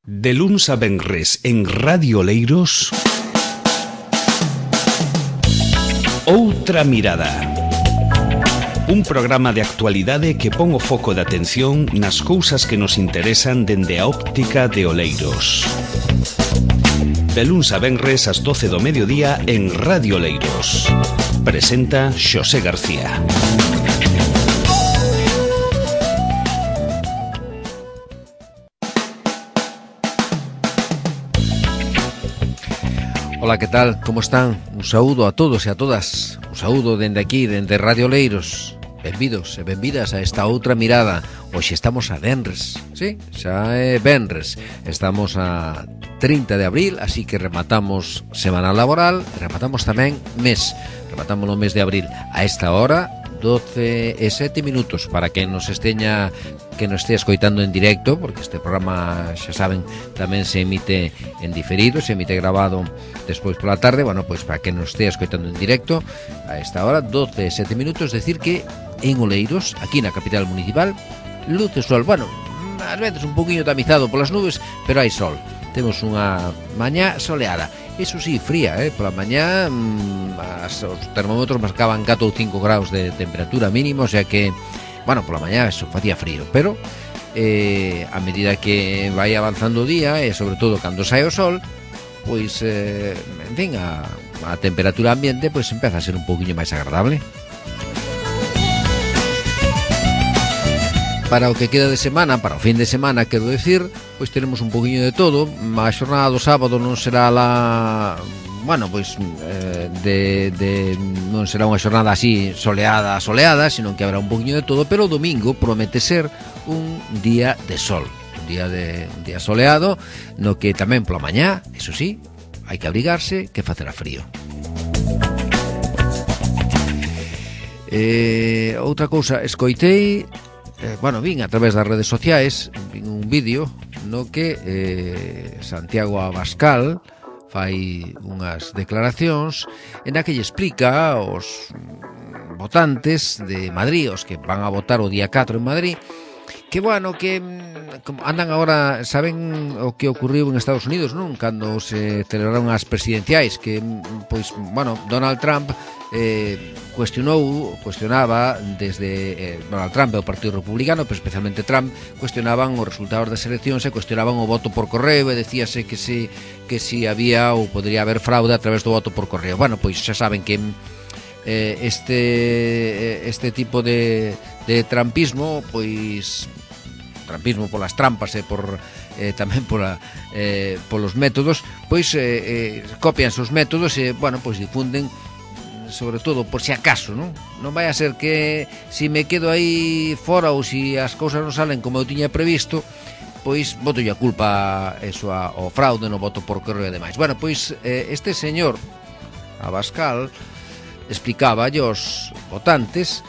De luns a venres en Radio Oleiros, Outra Mirada. Un programa de actualidade que pon o foco de atención nas cousas que nos interesan dende a óptica de Oleiros. De luns a venres ás 12 do mediodía en Radio Oleiros. Presenta Xosé García. Ola, que tal? Como están? Un saúdo a todos e a todas. Un saúdo dende aquí, dende Radio Oleiros. Benvidos e benvidas a esta outra mirada. Hoxe estamos a venres. Sí, xa é venres. Estamos a 30 de abril, así que rematamos semana laboral, rematamos tamén mes. Rematamos o mes de abril. A esta hora, 12 e 7 minutos, para que nos estea escoitando en directo, porque este programa, xa saben, tamén se emite en diferido, se emite grabado despois pola tarde. Bueno, pois para que nos estea escoitando en directo, a esta hora, 12 e 7 minutos, decir que en Oleiros, aquí na capital municipal, luz e sol. Bueno, ás veces un poquinho tamizado polas nubes, pero hai sol. Temos unha mañá soleada. Iso sí, fría, pola mañá os termómetros marcaban 4 ou 5 graus de temperatura mínimo, o sea que, bueno, pola mañá eso facía frío, pero a medida que vai avanzando o día e sobre todo cando sae o sol, pois, en fin, a temperatura ambiente pois empeza a ser un pouquiño máis agradable. Para o que queda de semana, para o fin de semana, quero decir, pois tenemos un poquinho de todo. A xornada do sábado non será non será unha xornada así soleada, sino que habrá un poquinho de todo, pero o domingo promete ser un día de sol, un día soleado, no que tamén pola mañá, eso sí, hai que abrigarse, que facerá frío. Outra cousa, escoitei, vin a través das redes sociais, vin un vídeo no que Santiago Abascal fai unhas declaracións en a que lle explica aos votantes de Madrid, os que van a votar o día 4 en Madrid, que como andan agora, saben o que ocurriu en Estados Unidos, non? Cando se celebraron as presidenciais, que Donald Trump cuestionaba desde Donald Trump e o Partido Republicano, pero especialmente Trump, cuestionaban os resultados das eleccións e cuestionaban o voto por correo, e decíase que si había ou podría haber fraude a través do voto por correo. Bueno, pois xa saben que este tipo de trampismo, pois trampismo polas trampas e tamén polos métodos, pois copian os métodos e, pois difunden, sobre todo por si acaso, non vai a ser que si me quedo aí fora ou si as cousas non salen como eu tiña previsto, pois boto a culpa ao fraude no voto por correo e demais. Bueno, pois este señor Abascal explicaba aos votantes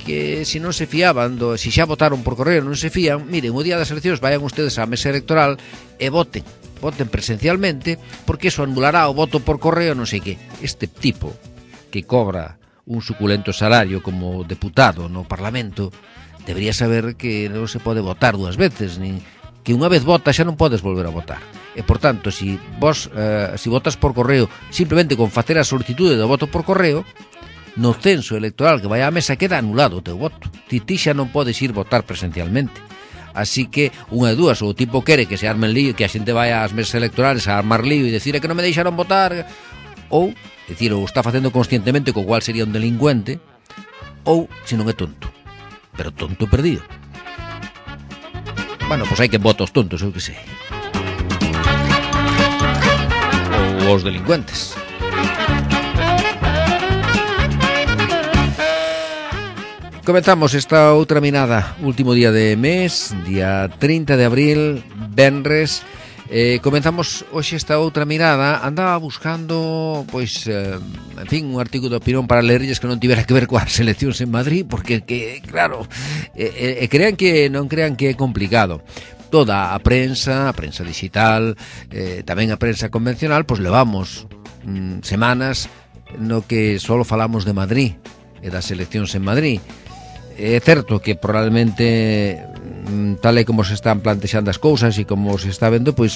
que se non se fiaban, se xa votaron por correo non se fían, miren, o día das eleccións vayan ustedes á mesa electoral e voten presencialmente, porque eso anulará o voto por correo, non sei que. Este tipo que cobra un suculento salario como deputado no Parlamento debería saber que non se pode votar dúas veces, nin que unha vez vota xa non podes volver a votar. E, por tanto, si votas por correo simplemente con facer a solicitude do voto por correo, no censo electoral que vai á mesa queda anulado o teu voto. Ti xa non podes ir votar presencialmente. Así que, unha de dúas, ou o tipo quere que se arme lío, que a xente vai ás mesas electorales a armar lío e decir que non me deixaron votar, ou está facendo conscientemente, co cual sería un delincuente, ou se non é tonto, pero tonto perdido. Bueno, pois hai que votar os tontos, eu que sei, ou os delincuentes. Comenzamos esta outra mirada, último día de mes, día 30 de abril, venres. Comenzamos hoxe esta outra mirada. Andaba buscando, en fin, un artigo de opinión para lerlles que non tivera que ver coas eleccións en Madrid, porque, claro, non crean que é complicado. Toda a prensa digital, tamén a prensa convencional, levamos semanas no que só falamos de Madrid e das eleccións en Madrid. É certo que probablemente tal e como se están plantexando as cousas e como se está vendo, pois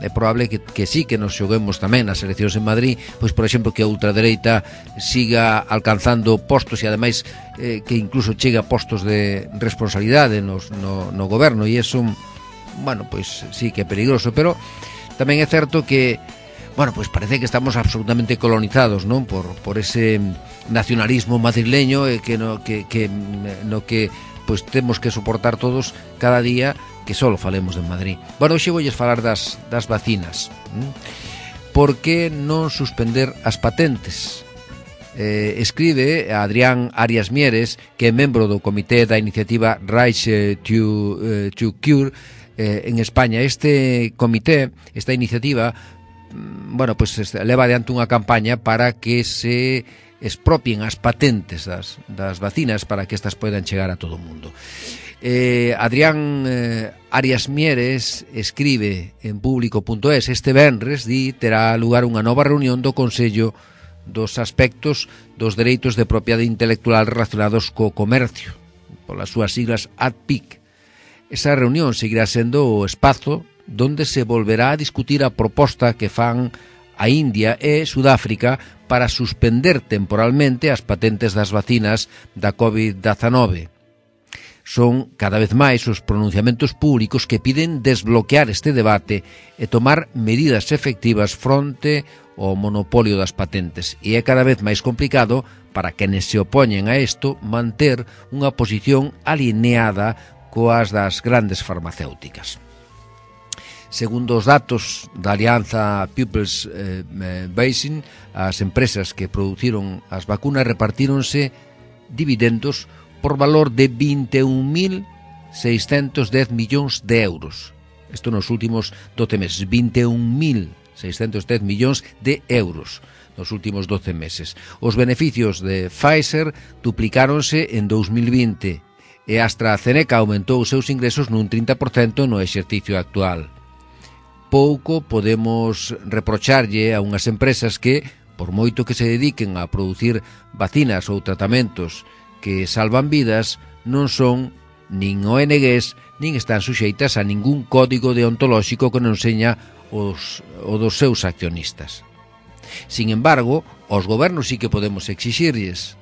é probable que sí, que nos xoguemos tamén nas eleccións en Madrid, pois por exemplo que a ultradereita siga alcanzando postos e ademais que incluso chegue a postos de responsabilidade no goberno, e eso, bueno, pois sí que é peligroso, pero tamén é certo que, bueno, pois parece que estamos absolutamente colonizados, non? Por ese nacionalismo madrileño no que pois temos que soportar todos cada día que só falemos de Madrid. Bueno, hoxe voulles falar das vacinas. Por que non suspender as patentes? Escribe Adrián Arias Mieres, que é membro do comité da iniciativa Right to Cure en España. Este comité, esta iniciativa, bueno, pues leva adiante unha campaña para que se expropien as patentes das vacinas para que estas poidan chegar a todo o mundo. Adrián Arias Mieres escribe en público.es: este venres terá lugar unha nova reunión do Consello dos aspectos dos dereitos de propiedade intelectual relacionados co comercio, polas súas siglas ADPIC. Esa reunión seguirá sendo o espazo donde se volverá a discutir a proposta que fan a India e Sudáfrica para suspender temporalmente as patentes das vacinas da COVID-19. Son cada vez máis os pronunciamentos públicos que piden desbloquear este debate e tomar medidas efectivas fronte ao monopolio das patentes. E é cada vez máis complicado para quenes se opoñen a isto manter unha posición alineada coas das grandes farmacéuticas. Segundo os datos da Alianza People's Vaccine, as empresas que produciron as vacunas repartíronse dividendos por valor de 21.610 millóns de euros. Isto nos últimos 12 meses, 21.610 millóns de euros nos últimos 12 meses. Os beneficios de Pfizer duplicáronse en 2020 e AstraZeneca aumentou os seus ingresos nun 30% no exercicio actual. Pouco podemos reprocharlle a unhas empresas que, por moito que se dediquen a producir vacinas ou tratamentos que salvan vidas, non son nin ONGs, nin están suxeitas a ningún código deontolóxico que non seña o dos seus accionistas. Sin embargo, aos gobernos sí que podemos exixirlles.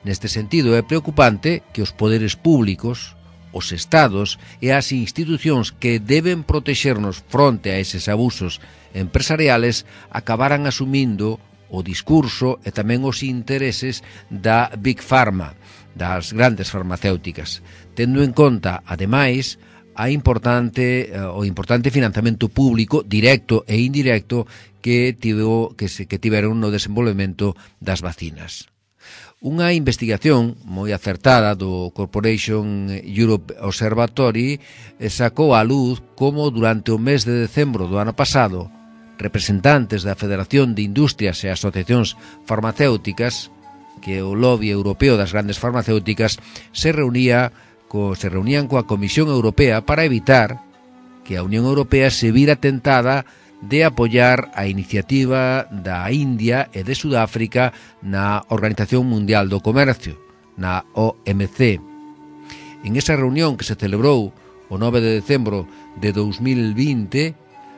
Neste sentido, é preocupante que os poderes públicos, os estados e as institucións que deben protexernos fronte a eses abusos empresariales acabaran asumindo o discurso e tamén os intereses da Big Pharma, das grandes farmacéuticas, tendo en conta, ademais, o importante financiamento público directo e indirecto que tiveron no desenvolvemento das vacinas. Unha investigación moi acertada do Corporation Europe Observatory sacou á luz como durante o mes de decembro do ano pasado representantes da Federación de Industrias e Asociacións Farmacéuticas, que é o lobby europeo das grandes farmacéuticas, se reunían coa Comisión Europea para evitar que a Unión Europea se vira tentada de apoiar a iniciativa da India e de Sudáfrica na Organización Mundial do Comercio, na OMC. En esa reunión que se celebrou o 9 de decembro de 2020,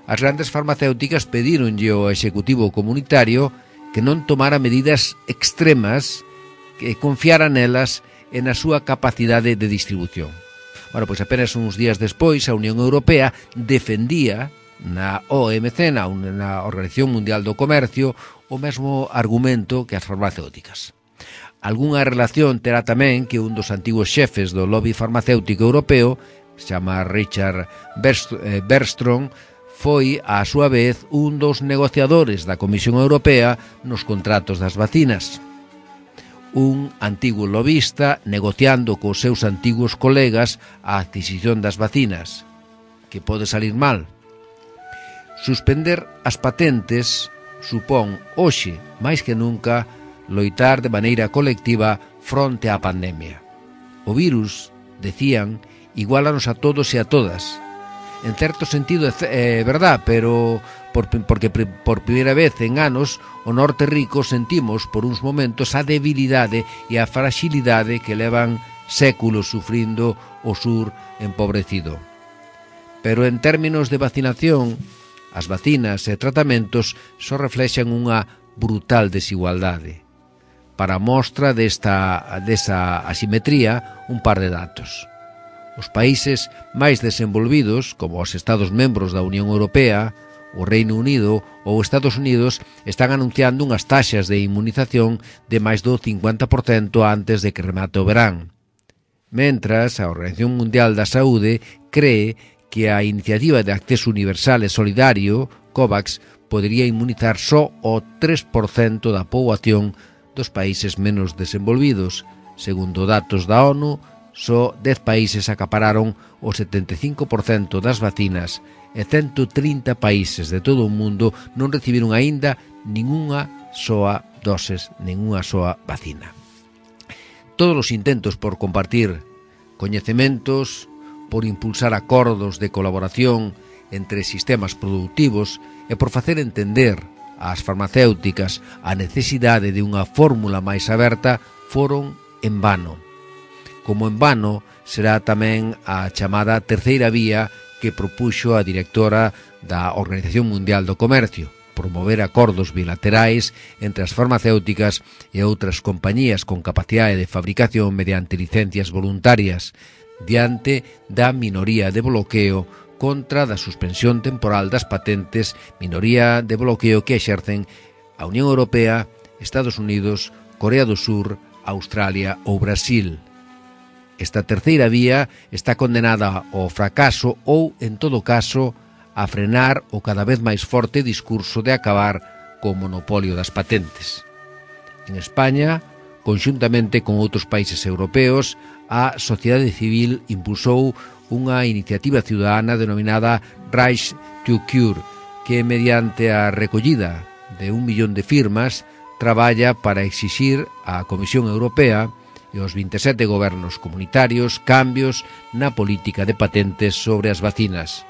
as grandes farmacéuticas pedíronlle ao Executivo Comunitario que non tomara medidas extremas, que confiara nelas e na súa capacidade de distribución. Bueno, pois apenas uns días despois a Unión Europea defendía na OMC, na Organización Mundial do Comercio, o mesmo argumento que as farmacéuticas. Algúnha relación terá tamén que un dos antigos xefes do lobby farmacéutico europeo, se chama Richard Bergström, foi, á súa vez, un dos negociadores da Comisión Europea nos contratos das vacinas. Un antigo lobista negociando cos seus antigos colegas a adquisición das vacinas. Que pode salir mal? Suspender as patentes supón, hoxe, máis que nunca, loitar de maneira colectiva fronte á pandemia. O virus, decían, iguálanos a todos e a todas. En certo sentido é verdad, pero porque por primeira vez en anos o norte rico sentimos por uns momentos a debilidade e a fragilidade que levan séculos sufrindo o sur empobrecido. Pero en términos de vacinación, as vacinas e tratamentos só reflexan unha brutal desigualdade. Para mostra desa asimetría, un par de datos. Os países máis desenvolvidos, como os Estados membros da Unión Europea, o Reino Unido ou Estados Unidos, están anunciando unhas taxas de inmunización de máis do 50% antes de que remate o verán. Mentras, a Organización Mundial da Saúde cree que a Iniciativa de Acceso Universal e Solidario, COVAX, podería inmunizar só o 3% da poboación dos países menos desenvolvidos. Segundo datos da ONU, só 10 países acapararon o 75% das vacinas e 130 países de todo o mundo non recibiron aínda ningunha soa doses, ningunha soa vacina. Todos os intentos por compartir coñecementos, por impulsar acordos de colaboración entre sistemas productivos e por facer entender ás farmacéuticas a necesidade de unha fórmula máis aberta foron en vano. Como en vano será tamén a chamada terceira vía que propuxo a directora da Organización Mundial do Comercio, promover acordos bilaterais entre as farmacéuticas e outras compañías con capacidade de fabricación mediante licencias voluntarias, diante da minoría de bloqueo contra da suspensión temporal das patentes, minoría de bloqueo que exercen a Unión Europea, Estados Unidos, Corea do Sur, Australia ou Brasil. Esta terceira vía está condenada ao fracaso ou, en todo caso, a frenar o cada vez máis forte discurso de acabar co monopolio das patentes. En España, conxuntamente con outros países europeos, a sociedade civil impulsou unha iniciativa ciudadana denominada Right to Cure, que mediante a recollida de 1 millón de firmas traballa para exixir á Comisión Europea e aos 27 gobernos comunitarios cambios na política de patentes sobre as vacinas.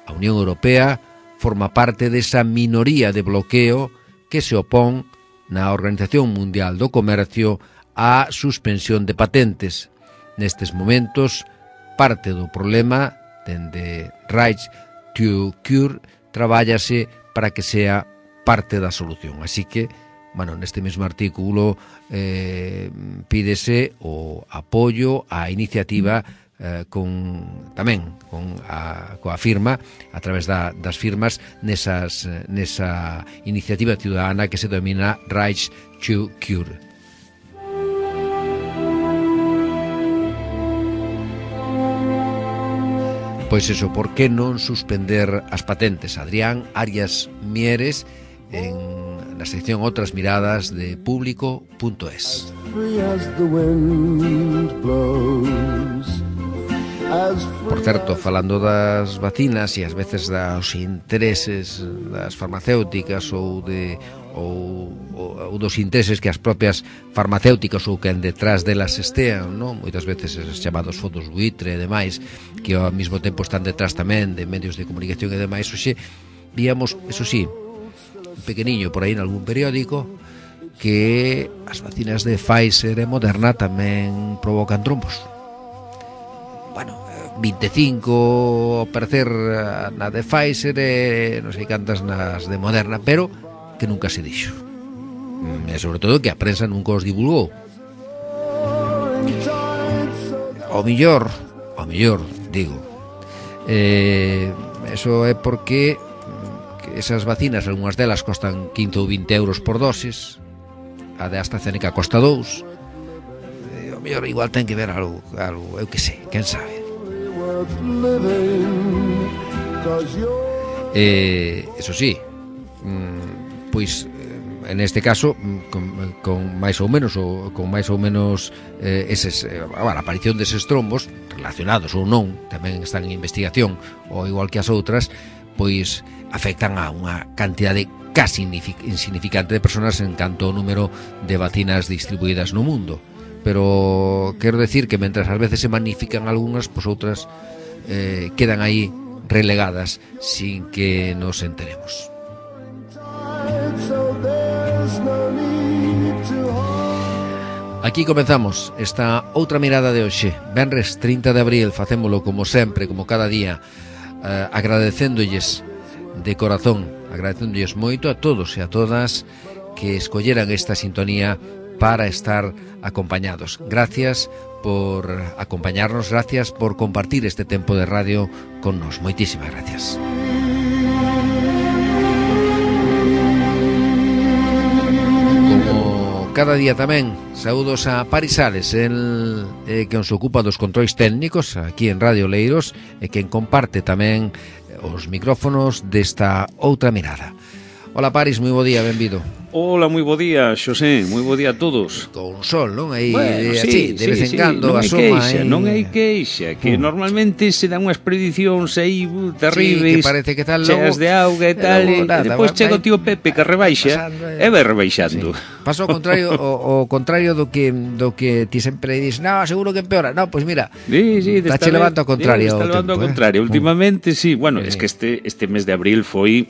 A Unión Europea forma parte desa minoría de bloqueo que se opón na Organización Mundial do Comercio á suspensión de patentes. Nestes momentos, parte do problema, dende Right to Cure, trabállase para que sea parte da solución. Así que, neste mesmo artículo pídese o apoio á iniciativa coa firma, a través das firmas nesa iniciativa ciudadana que se denomina Right to Cure. Pois eso, por que non suspender as patentes? Adrián Arias Mieres, na sección Outras Miradas de Público.es. Por certo, falando das vacinas e ás veces dos intereses das farmacéuticas ou dos intereses que as propias farmacéuticas ou que detrás delas estean, non? Moitas veces esos chamados fondos buitre e demais, que ao mesmo tempo están detrás tamén de medios de comunicación e demais. Oxe, víamos, eso sí, un pequeniño por aí en algún periódico, que as vacinas de Pfizer e Moderna tamén provocan trombos. 25 ao parecer na de Pfizer e non sei cantas nas de Moderna, pero que nunca se dixo, e sobre todo que a prensa nunca os divulgou. Ao millor digo, eso é porque esas vacinas, algunhas delas costan 15 ou 20 euros por dosis, a de AstraZeneca costa 2, ao mellor igual ten que ver algo, eu que sei, quen sabe. Eso sí, pois en este caso con máis ou menos a aparición deses trombos relacionados ou non, tamén están en investigación, ou igual que as outras, pois afectan a unha cantidade casi insignificante de persoas en canto ao número de vacinas distribuídas no mundo. Pero quero decir que mentras ás veces se magnifican algunhas, pois outras quedan aí relegadas sin que nos enteremos. Aquí comenzamos esta outra mirada de hoxe, venres 30 de abril, facémolo como sempre, como cada día, agradecéndolles de corazón, agradecéndolles moito a todos e a todas que escolleran esta sintonía para estar acompañados. Gracias por acompañarnos, gracias por compartir este tempo de radio con nos. Moitísimas gracias. Cada día tamén, saúdos a Paris Sales, el que nos ocupa dos controis técnicos aquí en Radio Oleiros e quen comparte tamén os micrófonos desta outra mirada. Hola Paris, moi bo día, benvido. Hola, moi bo día, Xosé, moi bo día a todos. Con sol, non? Aí, bueno, así, de vez en cando asoma aí. Non hai queixa, que normalmente se dan unhas predicións aí terribles, que parece que tal cheas de auga e tal, e depois chega o tío Pepe que rebaixa e vai rebaixando. Pasa ao contrario, o contrario do que ti sempre dis, no, seguro que empeora. No, pois mira, está che levando ao contrario. Está levando ao contrario, últimamente sí, bueno, es que este mes de abril foi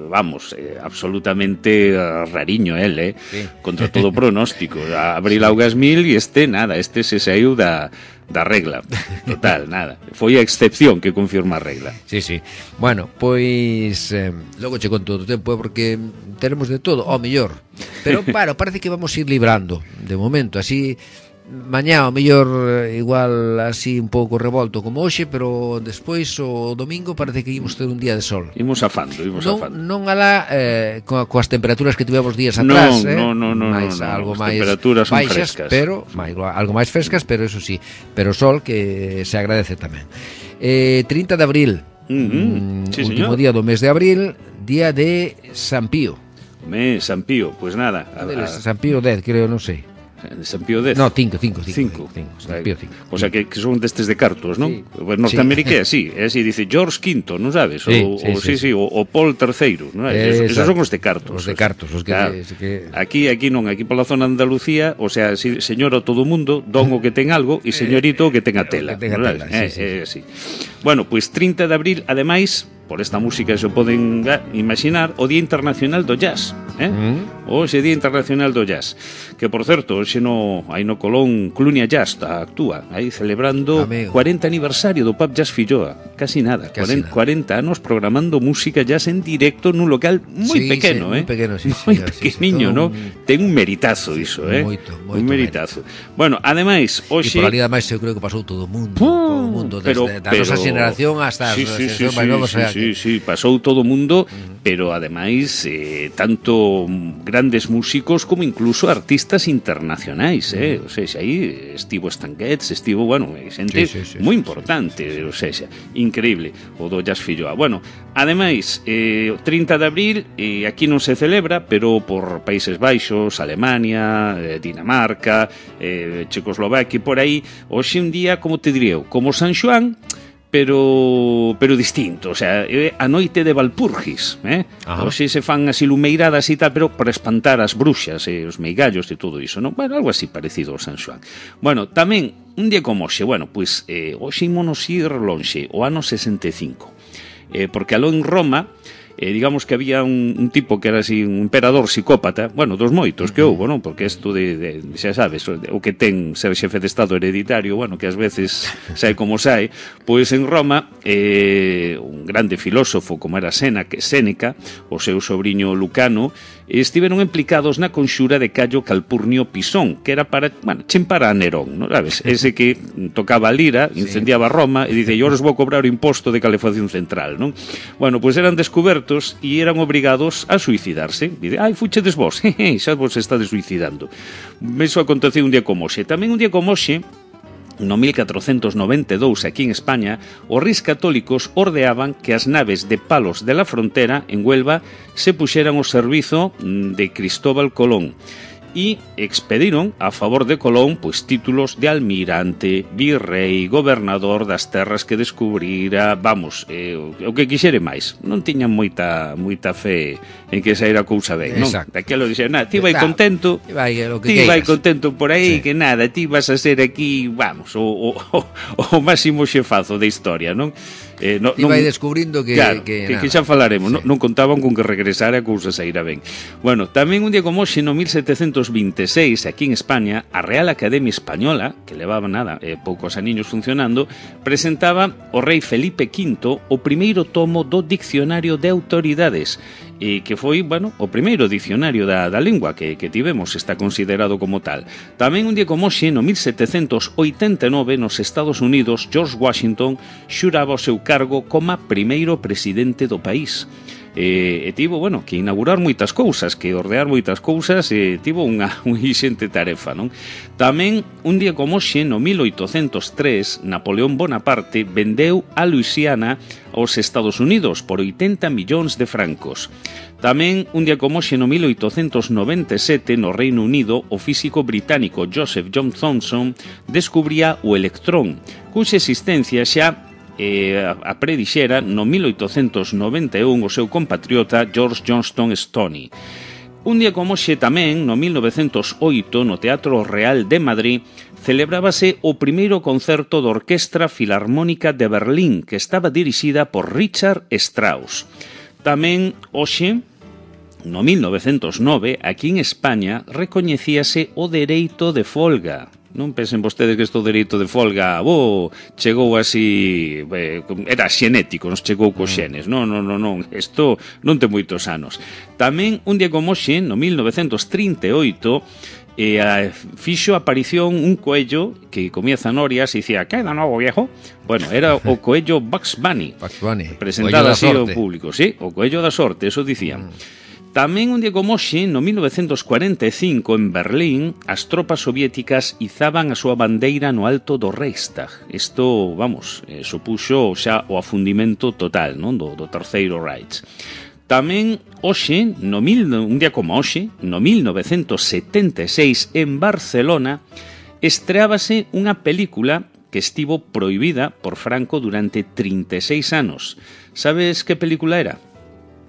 vamos, absolutamente rariño sí. Contra todo pronóstico. Abril augas mil e nada, se saiu da regla, total, nada. Foi a excepción que confirma a regla. Sí, sí. Bueno, pois logo che conto do tempo, porque tenemos de todo, ao mellor. Pero, claro, parece que vamos ir librando de momento, así. Mañá ao mellor igual así un pouco revolto como hoxe, pero despois o domingo parece que imos ter un día de sol. Imos afando. Non alá coas temperaturas que tivemos días atrás, non, algo máis temperaturas baixas, frescas. Pero algo máis frescas, pero eso sí, pero sol que se agradece tamén. 30 de abril, sí, último día do mes de abril, día de San Pío. San Pío, pues nada. San Pío 10, creo, non sei. San Pío X. No, 5. San Pío 5. O sea, que son destes de cartos, non? Sí. Norteamérica é así, dice George V, non sabes? O Paul III, non sabes? Esos son os de cartos. Os de cartos, os que... Claro. Aquí non, aquí pola zona de Andalucía, o sea, señor o todo mundo, don o que ten algo, e señorito o que ten a tela. Sí. Bueno, pois 30 de abril, ademais, por esta música se poden imaginar, o Día Internacional do Jazz, Hoxe Día Internacional do Jazz, que por certo, hoxe aí no Colón Clunia Jazz actúa, aí celebrando 40 aniversario do Pub Jazz Filloa, casi nada, 40 anos programando música jazz en directo nun local moi pequeno, moi pequeno, moi pequeniño, non? Ten un meritazo iso, moito un meritazo. Bueno, ademais, hoxe... E por ali ademais eu creo que pasou todo o mundo, desde a nosa xeneración hasta as xeracións máis novas. Sí, pasou todo o mundo, pero ademais tanto grandes músicos como incluso artistas internacionais, O sea, aí estivo Stan Getz, xente moi importante, o sea, increíble o do Jazz Filloa. Bueno, ademais, 30 de abril aquí non se celebra, pero por Países Baixos, Alemania, Dinamarca, Checoslovaquia, por aí, hoxe un día, como te diría eu, como San Xoán, pero distinto, o sea, a noite de Valpurgis, Hoxe se fan así lumeiradas e tal, pero para espantar as bruxas e os meigallos e todo iso, non? Bueno, algo así parecido ao San Xoán. Bueno, tamén un día como hoxe, pois hoxe ímonos ir lonxe, o ano 65, porque aló en Roma digamos que había un tipo que era así un emperador psicópata, dos moitos que houbo, non? Porque isto de xa sabes, o que ten ser xefe de Estado hereditario, que ás veces sae como sae, pois en Roma un grande filósofo como era Séneca, o seu sobriño Lucano, estiveron implicados na conxura de Cayo Calpurnio Pisón, que era para, chimpar a Nerón, non sabes? Ese que tocaba a lira, incendiaba Roma e dice, eu os vou cobrar o imposto de calefacción central, non? Pois eran descubertos e eran obrigados a suicidarse. Dice, fuchedes vos, xa vos estades suicidando. Iso aconteceu un día como hoxe. Tamén un día como hoxe, no 1492, aquí en España, os reis católicos ordeaban que as naves de Palos de la Frontera, en Huelva, se puxeran ao servizo de Cristóbal Colón e expediron a favor de Colón pois títulos de almirante, virrei, gobernador das terras que descubrira, o que quixere máis. Non tiñan moita fe en que saíra a cousa ben, non? Daquelo dixeron, ti vai contento, ti vai contento por aí, que nada, ti vas a ser aquí, o máximo xefazo da historia, non? Ti vai descubrindo que... Claro, que xa falaremos, sí. Non contaban con que regresara a cousa saíra ben. Bueno, tamén un día como hoxe, no 1726, aquí en España, a Real Academia Española, que levaba poucos aniños funcionando, presentaba o rei Felipe V o primeiro tomo do Dicionario de Autoridades, e que foi, bueno, o primeiro dicionario da lingua que tivemos, está considerado como tal. Tamén un día como hoxe, no 1789, nos Estados Unidos, George Washington xuraba o seu cargo como primeiro presidente do país. E tivo, bueno, que inaugurar moitas cousas, que ordear moitas cousas, e tivo unha xente tarefa, non? Tamén, un día como hoxe, no 1803, Napoleón Bonaparte vendeu a Luisiana aos Estados Unidos por 80 millóns de francos. Tamén, un día como hoxe, no 1897, no Reino Unido, o físico británico Joseph John Thomson descubría o electrón, cuxa existencia xa a predixera no 1891 o seu compatriota George Johnston Stoney. Un día como hoxe tamén, no 1908, no Teatro Real de Madrid, celebrábase o primeiro concerto da Orquestra Filarmónica de Berlín, que estaba dirixida por Richard Strauss. Tamén hoxe, no 1909, aquí en España, recoñecíase o dereito de folga. Non pensen vostedes que isto dereito de folga chegou así, era xenético, nos chegou cos xenes. Non, isto non ten moitos anos. Tamén, un día como hoxe, no 1938, fixo aparición un coello que comía zanorias e dicía, ¿qué de novo, viejo? Bueno, era o coello Bugs Bunny. Presentado así ao público, sí, o coello da sorte, eso dicían. Tamén un día como hoxe, no 1945, en Berlín, as tropas soviéticas izaban a súa bandeira no alto do Reichstag. Isto, supuxo xa o afundimento total, non, do Terceiro Reich. Tamén hoxe, un día como hoxe, no 1976, en Barcelona, estreábase unha película que estivo prohibida por Franco durante 36 anos. Sabes que película era?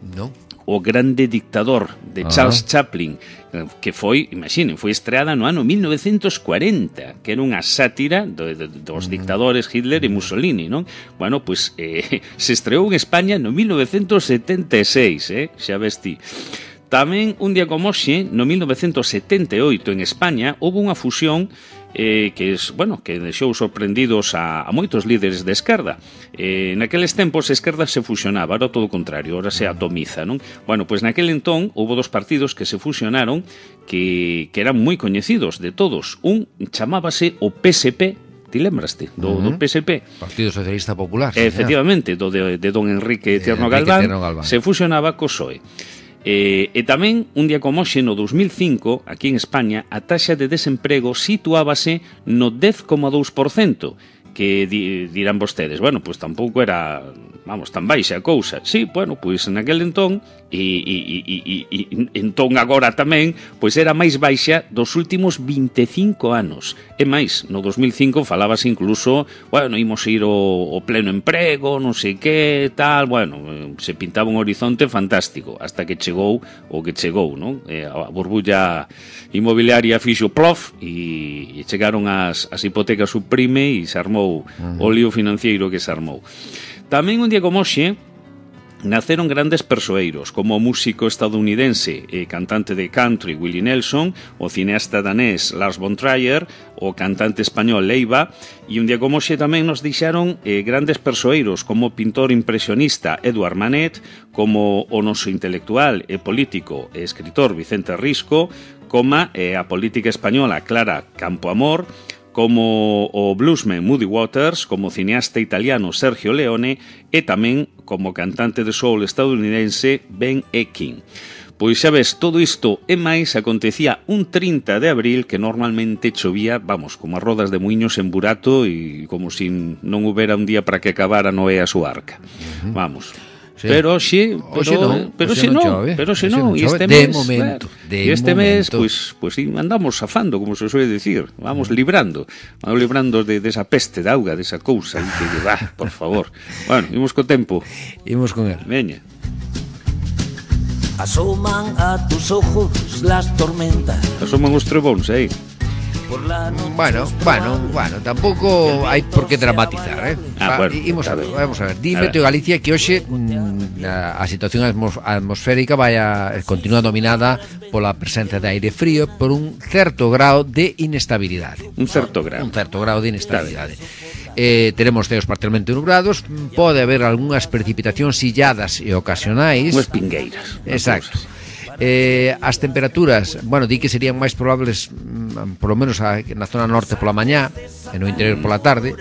Non. O Grande Dictador, de Charles Chaplin, que foi, imaginen, foi estreada no ano 1940, que era unha sátira dos dictadores Hitler e Mussolini, non? Bueno, pois se estreou en España no 1976, xa ves ti. Tamén, un día como hoxe, no 1978, en España, houve unha fusión que deixou sorprendidos a moitos líderes de esquerda. Naqueles tempos a esquerda se fusionaba, era todo o contrario, ahora se atomiza, non? Bueno, pois naquel entón houve dos partidos que se fusionaron que eran moi coñecidos de todos. Un chamábase o PSP, ti lembraste do PSP? Partido Socialista Popular. Efectivamente, de don Enrique Tierno Galván, se fusionaba co PSOE. E tamén, un día como hoxe, no 2005, aquí en España, a taxa de desemprego situábase no 10,2%, que dirán vostedes, bueno, pois tampouco era, tan baixa a cousa. Sí, bueno, pois naquel entón, e entón agora tamén, pois era máis baixa dos últimos 25 anos. E máis, no 2005 falábase incluso, bueno, imos ir ao pleno emprego, non sei que, tal, bueno, se pintaba un horizonte fantástico, hasta que chegou o que chegou, non? A burbulla inmobiliaria fixo plof e chegaron as hipotecas subprime e se armou o lío financiero que se armou. Tamén un día como hoxe naceron grandes persoeiros, como o músico estadounidense e cantante de country Willie Nelson, o cineasta danés Lars von Trier, o cantante español Leiva, e un día como hoxe tamén nos deixaron grandes persoeiros como o pintor impresionista Edouard Manet, como o noso intelectual e político e escritor Vicente Risco, como a política española Clara Campoamor, como o bluesman Muddy Waters, como o cineasta italiano Sergio Leone e tamén como cantante de soul estadounidense Ben Ekin. Pois xa ves, todo isto e máis acontecía un 30 de abril que normalmente chovía, como as rodas de muiños en burato e como se non houbera un día para que acabara Noé a súa arca. Vamos. Sí. Pero xe non, e este mes, pois andamos zafando, como se suele decir, vamos librando de esa peste de auga, de esa cousa, que por favor. Bueno, imos co tempo. Imos con él. Veña. Asoman a tus ojos las tormentas. Asoman os trebóns, Bueno, tampouco hai por que dramatizar, vamos a ver. Dime, Teo Galicia, que hoxe a situación atmosférica continúa dominada pola presencia de aire frío por un certo grao de inestabilidade. Un certo grao de inestabilidade. Teremos ceos parcialmente nublados, pode haber algunhas precipitacións illadas e ocasionais. Unhas pingueiras. Exacto. As temperaturas, di que serían máis probables polo menos na zona norte pola mañá e no interior pola tarde.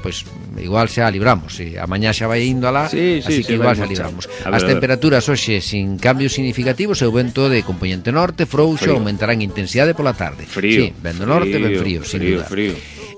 Pois igual xa libramos, a mañá xa vai indo alá, así que igual xa libramos. As temperaturas hoxe sin cambios significativos e o vento de componente norte frouxo aumentará en intensidade pola tarde. Frío. Vento norte, ben frío, sin duda.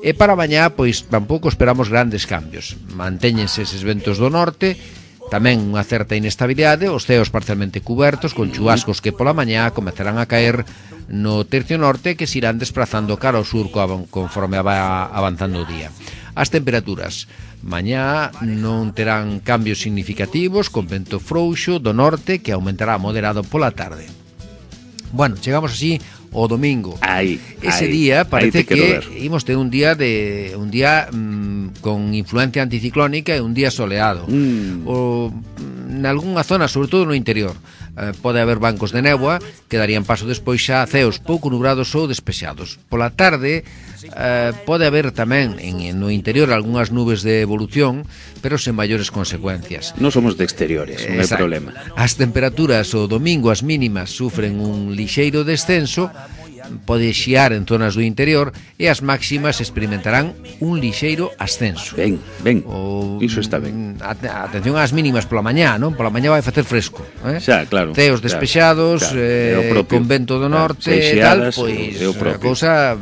E para mañá, pois tampouco esperamos grandes cambios. Mantéñense eses ventos do norte, tamén unha certa inestabilidade, os ceos parcialmente cubertos con chubascos que pola mañá comezarán a caer no tercio norte que se irán desplazando cara ao sur conforme va avanzando o día. As temperaturas mañá non terán cambios significativos, con vento frouxo do norte que aumentará moderado pola tarde. Chegamos así o domingo. Ese día parece que imos ter un día con influencia anticiclónica e un día soleado. Nalgúnha zona, sobre todo no interior, pode haber bancos de néboa que darían paso despois xa a ceos pouco nubrados ou despexados. Pola tarde pode haber tamén no interior algunhas nubes de evolución, pero sen maiores consecuencias. Non somos de exteriores, non hai problema. As temperaturas o domingo, as mínimas, sufren un lixeiro descenso, pode xiar en zonas do interior, e as máximas experimentarán un lixeiro ascenso. Ben, iso está ben. Atención ás mínimas pola mañá, non? Pola mañá vai facer fresco, Xa, claro. Ceos despexados, con vento do norte e tal, pois a cousa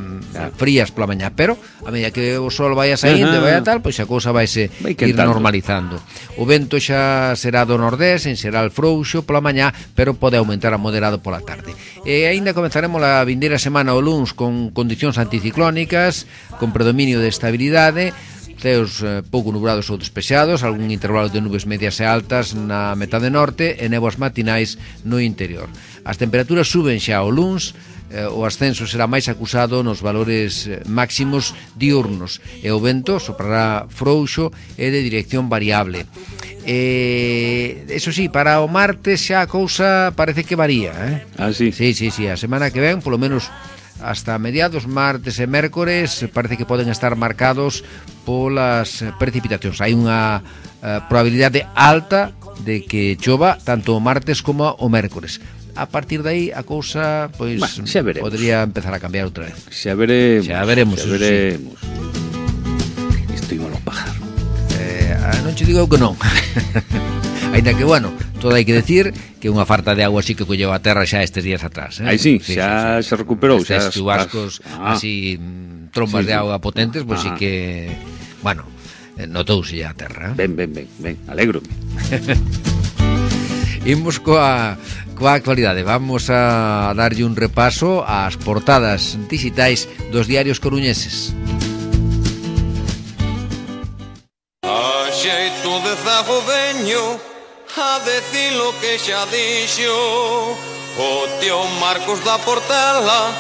frías pola mañá, pero a medida que o sol vai saindo e vai a tal, pois a cousa vai ir normalizando. O vento xa será do nordés, en xeral frouxo pola mañá, pero pode aumentar a moderado pola tarde. E aínda comenzaremos a vindeira semana o luns con condicións anticiclónicas, con predominio de estabilidade, ceos pouco nublados ou despexados, algún intervalo de nubes medias e altas na metade norte e néboas matinais no interior. As temperaturas suben xa o luns, o ascenso será máis acusado nos valores máximos diurnos e o vento soprará frouxo e de dirección variable. Eso sí, para o martes xa a cousa parece que varía, Sí? Sí, a semana que ven, polo menos hasta mediados martes e mércores, parece que poden estar marcados polas precipitacións. Hai unha probabilidade alta de que chova tanto o martes como o mércores. A partir de aí a cousa pois podría empezar a cambiar outra vez. Xa veremos. Isto ímolo pajar. Non che digo que non. Ainda que, todo hai que decir que unha farta de agua así que colleu a terra xa estes días atrás. Sí, xa se recuperou. Estes chubascos así, trombas de agua potentes, pois sí que, notouse xa a terra. Ben, alegro-me. Imos coa actualidade. Vamos a darlle un repaso ás portadas digitais dos diarios coruñeses. Xeito de zago veño a decir lo que xa dixo o tío Marcos da Portela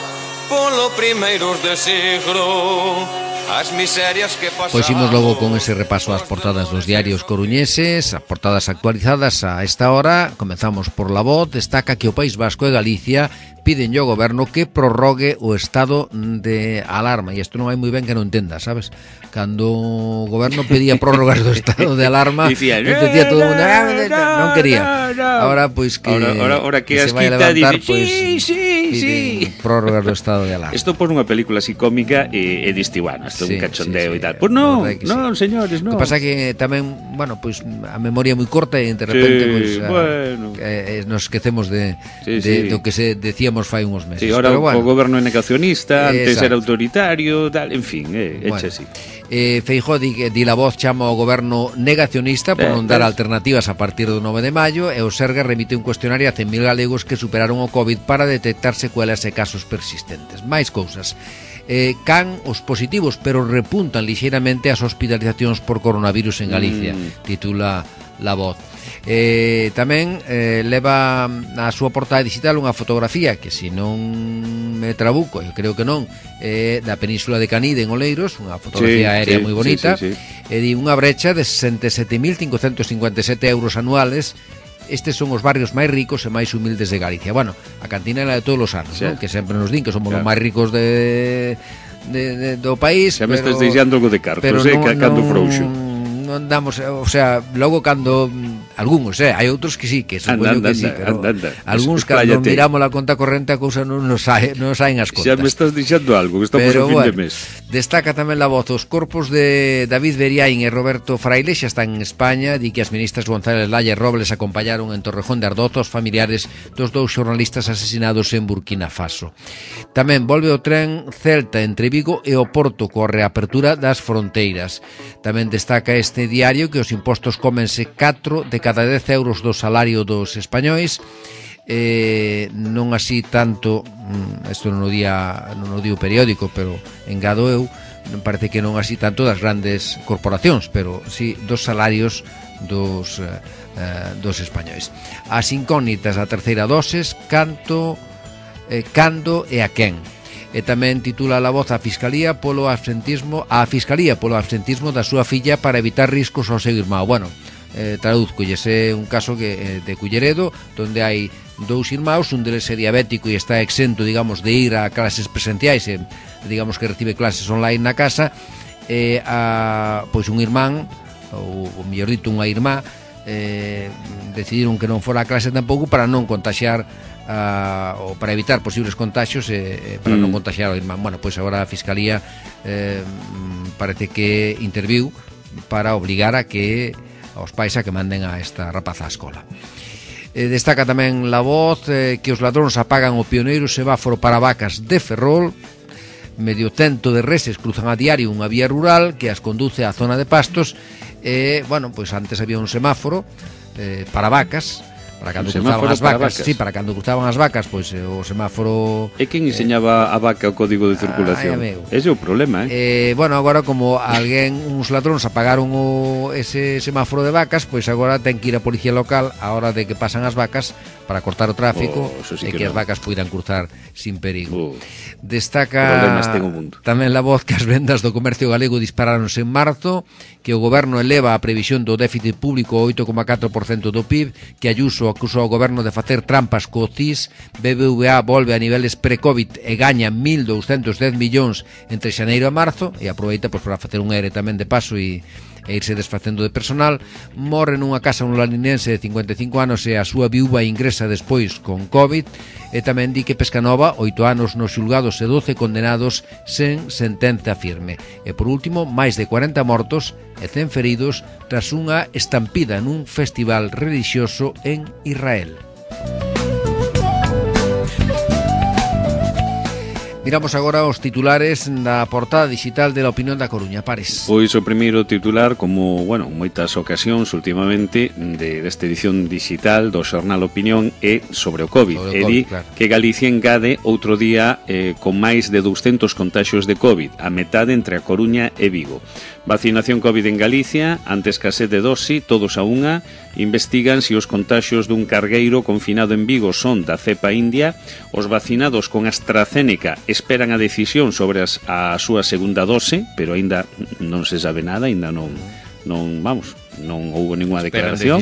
polo primeiros de siglo. As miserias que pasaron. Pois imos logo con ese repaso ás portadas dos diarios coruñeses, as portadas actualizadas a esta hora. Comezamos por La Voz, destaca que o País Vasco e Galicia piden ao goberno que prorrogue o estado de alarma, e isto non hai moi ben que non entenda, sabes? Cando o goberno pedía prórrogas do estado de alarma, dicía todo o mundo non quería. Ahora pois que ahora que se vai a levantar, pois sí. Prórrogas do estado de alarma. Isto por unha película así cómica e diste, isto é un cachondeo e tal. Pois non, señores, non. O que pasa que tamén, pois a memoria é moi corta e de repente nos esquecemos de do que se decíamos fai uns meses. Sí, ahora o goberno é negacionista, antes era autoritario, tal, en fin, eche así. Feijóo di La Voz chama ao goberno negacionista por non dar alternativas a partir do 9 de maio, e o Sergas remite un cuestionario a 100.000 galegos que superaron o COVID para detectar secuelas e casos persistentes. Máis cousas. Can os positivos, pero repuntan lixeiramente as hospitalizacións por coronavirus en Galicia, titula La Voz. Tamén leva na súa portada digital unha fotografía que, se non me Trabuco, eu creo que non, da Península de Canide en Oleiros, unha fotografía aérea moi bonita, e di unha brecha de 67.557 euros anuales. Estes son os barrios máis ricos e máis humildes de Galicia. Bueno, a cantinela de todos os anos, ¿no? Que sempre nos din que somos os máis ricos do país. Xa me estás deixando algo de cartos, cando frouxo. Non damos, o sea, logo cando algúns, hai outros que sí, que supoño que sí, pero algúns cando miramos a conta corrente a cousa non nos saen as contas. Xa me estás deixando algo, que estamos ao fin de mes. Destaca tamén la voz os corpos de David Beriaín e Roberto Fraile xa están en España, di que as ministras González Laya e Robles acompañaron en Torrejón de Ardoz os familiares dos dous xornalistas asesinados en Burkina Faso. Tamén volve o tren Celta entre Vigo e o Porto coa reapertura das fronteiras. Tamén destaca este diario que os impostos cómense 4 de cada 10 euros do salario dos españois, non así tanto, isto non o di o periódico, pero engado eu, parece que non así tanto das grandes corporacións, pero sí dos salarios dos españois. As incógnitas da terceira doses, cando e a quen. E tamén titula La Voz a Fiscalía polo absentismo da súa filla para evitar riscos ao seu irmão. Bueno, traduzcolles, é un caso que de Culleredo, donde hai dous irmãos, un deles é diabético e está exento, digamos, de ir a clases presenciais, digamos que recibe clases online na casa, e pois un irmán, ou mellor dito unha irmá, decidiron que non fora a clase tampouco para non contaxiar ou para evitar posibles contaxios para non contaxiar ao irmán. Bueno, pois agora a Fiscalía parece que interviu para obligar a que aos pais a que manden a esta rapaza á escola. Destaca tamén La Voz que os ladróns apagan o pioneiro semáforo para vacas de Ferrol. Medio cento de reses cruzan a diario unha vía rural que as conduce á zona de pastos. Bueno, pois antes había un semáforo para vacas, para cando cruzaban as vacas. Sí, para cando cruzaban as vacas, pois o semáforo. E quen enseñaba a vaca o código de circulación? Ese é o problema, bueno, agora como uns ladróns apagaron ese semáforo de vacas, pois agora ten que ir a policía local a hora de que pasan as vacas para cortar o tráfico e que as vacas poidan cruzar sin perigo. Destaca tamén La Voz que as vendas do comercio galego dispararonse en marzo, que o goberno eleva a previsión do déficit público ao 8,4% do PIB, que Ayuso acusou ao goberno de facer trampas co CIS, BBVA volve a niveles pre-Covid e gaña 1.210 millóns entre xaneiro e marzo, e aproveita pois para facer un ERE tamén de paso e irse desfacendo de personal. Morre nunha casa un laninense de 55 anos e a súa viúva ingresa despois con COVID. E tamén di que Pescanova, 8 anos nos xulgados e 12 condenados sen sentenza firme. E por último, máis de 40 mortos e 100 feridos tras unha estampida nun festival religioso en Israel. Miramos agora os titulares da portada digital de La Opinión da Coruña. Pares. Pois o primeiro titular, como, bueno, moitas ocasións últimamente desta edición digital do xornal Opinión é sobre o COVID. E di que Galicia engade outro día con máis de 200 contaxios de COVID, a metade entre a Coruña e Vigo. Vacinación COVID en Galicia, ante escasez de dosi, todos a unha, investigan se os contaxios dun cargueiro confinado en Vigo son da cepa india. Os vacinados con AstraZeneca esperan a decisión sobre a súa segunda dose, pero aínda non se sabe nada, aínda non houbo ninguna declaración.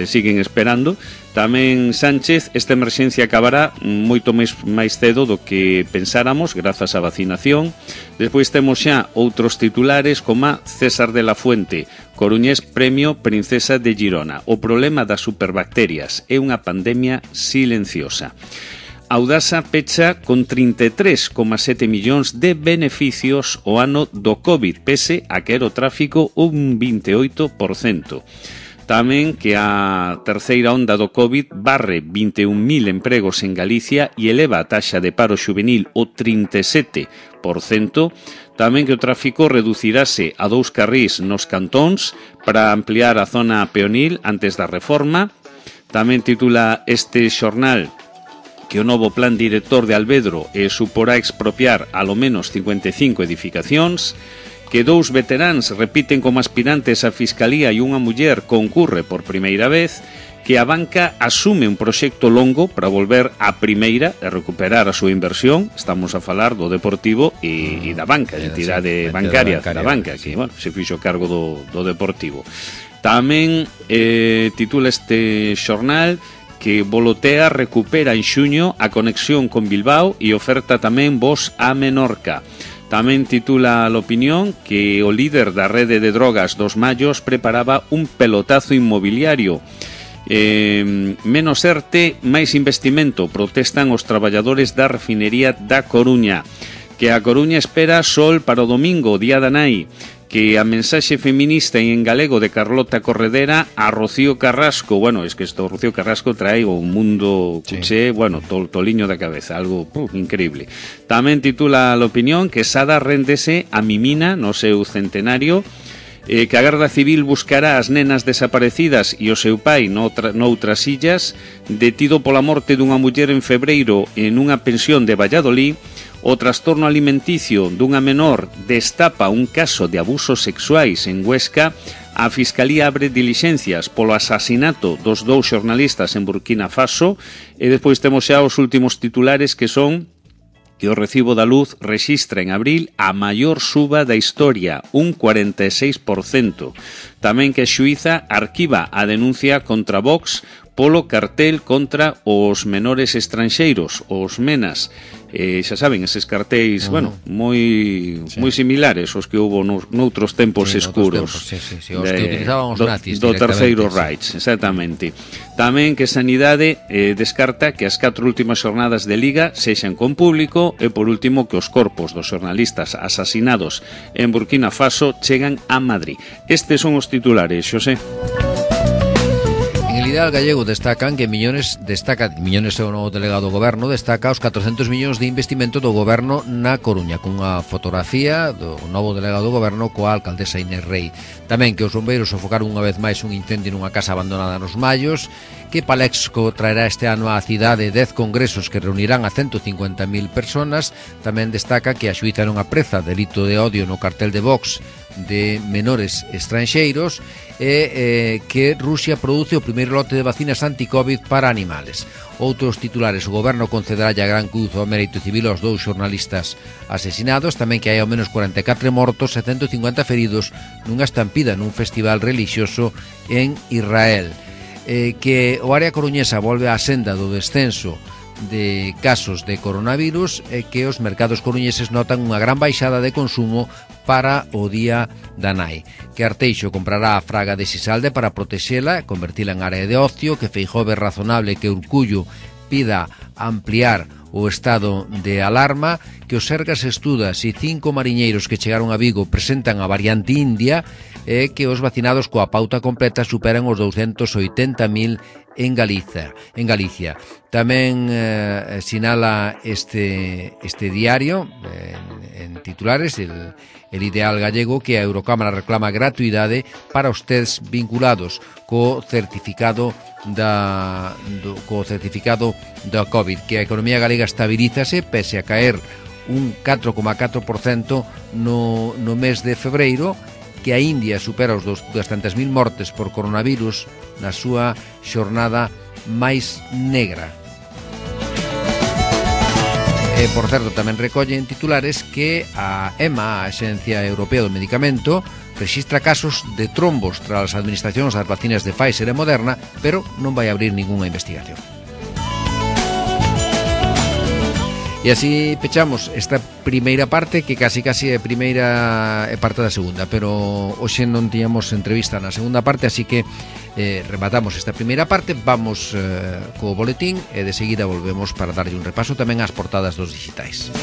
Siguen esperando. Tamén Sánchez, esta emerxencia acabará moito máis cedo do que pensáramos grazas á vacinación. Despois temos xa outros titulares como César de la Fuente, coruñés premio Princesa de Girona. O problema das superbacterias é unha pandemia silenciosa. Audasa pecha con 33,7 millóns de beneficios o ano do COVID, pese a que era o tráfico un 28%. Tamén que a terceira onda do COVID barre 21.000 empregos en Galicia e eleva a taxa de paro xuvenil o 37%. Tamén que o tráfico reducirase a 2 carrís nos cantóns para ampliar a zona peonil antes da reforma. Tamén titula este xornal que o novo plan director de Alvedro suporá expropiar alo menos 55 edificacións. que 2 veteráns repiten como aspirantes á Fiscalía e unha muller concurre por primeira vez, que a banca asume un proxecto longo para volver á primeira e recuperar a súa inversión. Estamos a falar do Deportivo e da banca, a entidade bancaria da banca, que bueno, se fixo cargo do Deportivo. Tamén titula este xornal que Volotea recupera en xuño a conexión con Bilbao e oferta tamén voos a Menorca. Tamén titula a L'Opinión que o líder da rede de drogas dos Mallos preparaba un pelotazo inmobiliario. Menos ERTE, máis investimento, protestan os traballadores da refinería da Coruña. Que a Coruña espera sol para o domingo, día da nai. Que a mensaxe feminista en galego de Carlota Corredera a Rocío Carrasco. Bueno, es que isto Rocío Carrasco trae o mundo cuché, bueno, toliño da cabeza, algo increíble. Tamén titula L'Opinión que Sada réndese a Mimina no seu centenario. Que a Garda Civil buscará as nenas desaparecidas e o seu pai noutras illas. Detido pola morte dunha muller en febreiro en unha pensión de Valladolid. O trastorno alimenticio dunha menor destapa un caso de abusos sexuais en Huesca. A Fiscalía abre dilixencias polo asasinato dos 2 xornalistas en Burkina Faso. E despois temos xa os últimos titulares, que son que o recibo da luz rexistra en abril a maior suba da historia, un 46%. Tamén que a xuíza arquiva a denuncia contra Vox polo cartel contra os menores estranxeiros, os MENAS. Xa saben, eses cartéis, bueno, moi similares aos que houbo noutros tempos escuros. Os que utilizaban os nazis do Terceiro Reich, exactamente. Tamén que Sanidade descarta que as 4 últimas xornadas de Liga sexan con público e, por último, que os corpos dos xornalistas asasinados en Burkina Faso chegan a Madrid. Estes son os titulares, Xosé. En el Ideal Gallego destacan que Miñones é o novo delegado do goberno, destaca os 400 millóns de investimento do goberno na Coruña, cunha fotografía do novo delegado do goberno coa alcaldesa Inés Rei. Tamén que os bombeiros sofocaron unha vez máis un incendio nunha casa abandonada nos Mallos, que Palexco traerá este ano á cidade 10 congresos que reunirán a 150.000 personas. Tamén destaca que a xuíza non apreza delito de odio no cartel de Vox de menores estranxeiros e que Rusia produce o primeiro lote de vacinas anti-Covid para animales. Outros titulares: o goberno concederá a Gran Cruz ao mérito civil aos 2 xornalistas asesinados. Tamén que hai ao menos 44 mortos e 150 feridos nunha estampida nun festival relixioso en Israel. Que o área coruñesa volve á senda do descenso de casos de coronavirus e que os mercados coruñeses notan unha gran baixada de consumo para o día da nai. Que Arteixo comprará a fraga de Sisalde para protexela e convertila en área de ocio. Que Feijóo ve razonable que Urcullo pida ampliar o estado de alarma. Que o Sergas estuda se 5 mariñeiros que chegaron a Vigo presentan a variante India. E que os vacinados coa pauta completa superan os 280.000 en Galicia. Tamén sinala este diario en titulares el Ideal Gallego que a Eurocámara reclama gratuidade para os tests vinculados co certificado da COVID, que a economía galega estabilízase pese a caer un 4,4% no mes de febreiro, que a India supera os 200.000 mortes por coronavirus na súa xornada máis negra. E, por certo, tamén recollen titulares que a EMA, a Axencia Europea do Medicamento, rexistra casos de trombos tras as administracións das vacinas de Pfizer e Moderna, pero non vai abrir ningunha investigación. E así pechamos esta primeira parte, que casi é primeira e parte da segunda, pero hoxe non tiñamos entrevista na segunda parte, así que rematamos esta primeira parte, vamos co boletín e de seguida volvemos para darlle un repaso tamén ás portadas dos digitais.